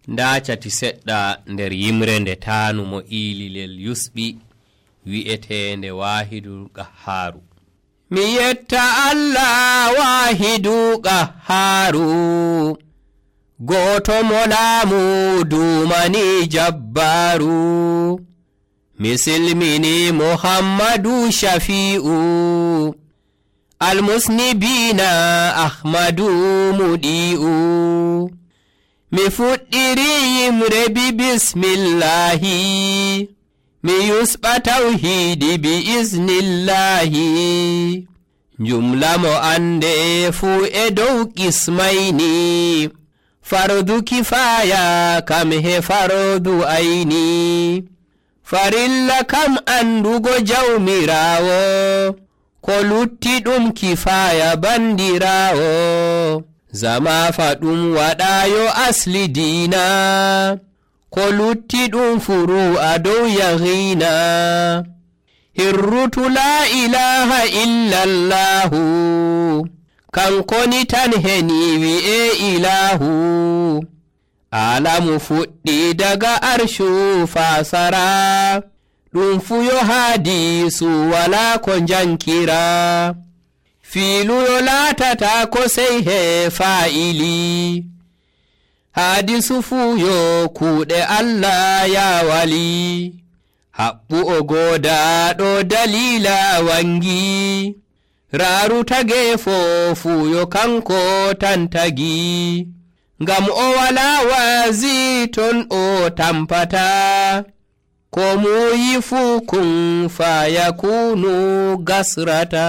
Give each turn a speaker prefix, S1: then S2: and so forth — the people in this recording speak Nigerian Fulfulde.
S1: nda cati seɗɗa nder yimre nde taanu mo iililel yusɓi wi'etende Waahidul Qahhaaru. Mi yetta Allah Waahidu Qahhaaru, gooto mo laamu duumani jabbaaru. Mi silmini Muhammadu Shafi'u, almusnibiina Ahmadu muɗi'u. Mi fuɗɗiri yimre bi bismillahi, mi yusɓa tawhiidi bi iznillahi. Jumla mo ande fuu e dow qismayni, fardu kifaya kam he fardu ayni. Farilla kam andugo jawmirawo, ko lutti ɗum kifaya bandirawo. Zama faɗum waɗayo asli diina, ko lutti ɗum furu a dow yahina. Hirrutu la ilaha illallahu, kankoni tan heni wi'e ilahu. Alamu fuɗɗi daga arshu fasara, ɗum fuyo hadisu wala ko jankira. Filuyo laatata ko sey he fa'ili, hadisu fuyo kuuɗe Allah ya wali. Haɓɓu o godaɗo dalila wangi, raaru tage fuyo kanko tan tagi. Ngam o wala waazi ton o tampata, ko muyi fu kun fayakunu gasrata.